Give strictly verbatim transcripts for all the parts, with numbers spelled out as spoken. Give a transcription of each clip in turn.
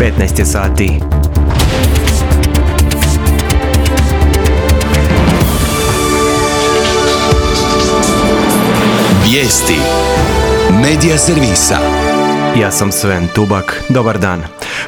petnaest je sati. Vijesti Medija servisa. Ja sam Sven Tubak. Dobar dan.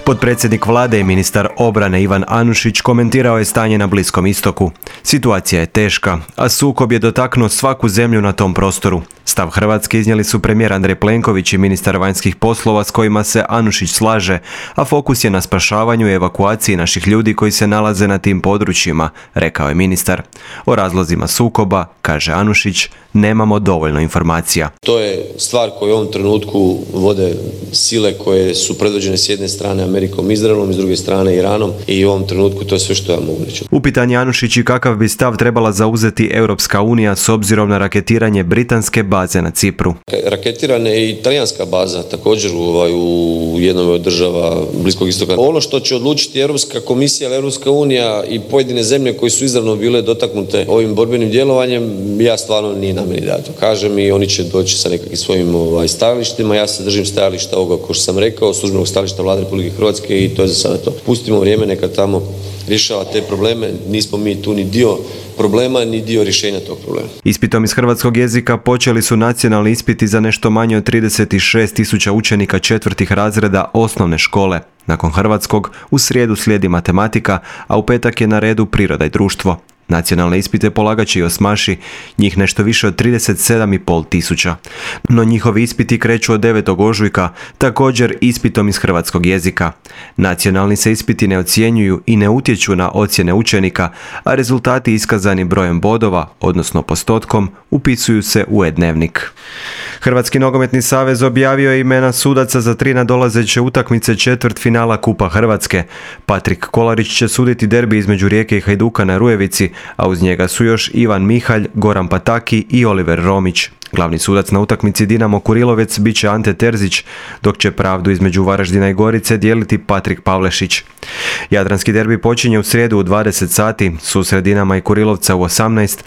Potpredsjednik vlade i ministar obrane Ivan Anušić komentirao je stanje na Bliskom istoku. Situacija je teška, a sukob je dotaknuo svaku zemlju na tom prostoru. Stav Hrvatske iznijeli su premijer Andrej Plenković i ministar vanjskih poslova s kojima se Anušić slaže, a fokus je na spašavanju i evakuaciji naših ljudi koji se nalaze na tim područjima, rekao je ministar. O razlozima sukoba, kaže Anušić, nemamo dovoljno informacija. To je stvar koju u ovom trenutku vode sile koje su predvođene s jedne strane Amerikom i Izraelom i s druge strane Iranom i u ovom trenutku to je sve što ja mogu reći. Upitan je Anušić i kakav bi stav trebala zauzeti Europska unija s obzirom na raketiranje britanske baze na Cipru. Raketirana je i talijanska baza također u, ovaj, u jednom od država Bliskog istoka. Ono što će odlučiti Europska komisija ili Europska unija i pojedine zemlje koje su izravno bile dotaknute ovim borbenim djelovanjem, ja stvarno nije na meni da to kažem i oni će doći sa nekakvim svojim ovaj, stajalištima. Ja se držim stajališta ovoga, kao što sam rekao, službenog stajališta Vlade Republike Hrvatske i to je za sada to. Pustimo vrijeme, neka tamo rješava te probleme, nismo mi tu ni dio problema, ni dio rješenja tog problema. Ispitom iz hrvatskog jezika počeli su nacionalni ispiti za nešto manje od trideset šest tisuća učenika četvrtih razreda osnovne škole. Nakon hrvatskog, u srijedu slijedi matematika, a u petak je na redu priroda i društvo. Nacionalne ispite polagat će i osmaši, njih nešto više od trideset sedam i pol tisuća. No njihovi ispiti kreću od devetog ožujka, također ispitom iz hrvatskog jezika. Nacionalni se ispiti ne ocjenjuju i ne utječu na ocjene učenika, a rezultati iskazani brojem bodova, odnosno postotkom, upisuju se u e-dnevnik. Hrvatski nogometni savez objavio je imena sudaca za tri nadolazeće utakmice četvrtfinala Kupa Hrvatske. Patrik Kolarić će suditi derbi između Rijeke i Hajduka na Rujevici, a uz njega su još Ivan Mihalj, Goran Pataki i Oliver Romić. Glavni sudac na utakmici Dinamo Kurilovec bit će Ante Terzić, dok će pravdu između Varaždina i Gorice dijeliti Patrik Pavlešić. Jadranski derbi počinje u srijedu u dvadeset sati, susret Dinama i Kurilovca u osamnaest,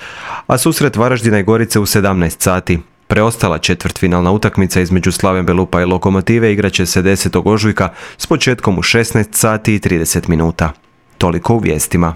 a susret Varaždina i Gorice u sedamnaest sati. Preostala četvrtfinalna utakmica između Slaven Belupa i Lokomotive igraće se desetog ožujka s početkom u šesnaest sati i trideset minuta. Toliko u vijestima.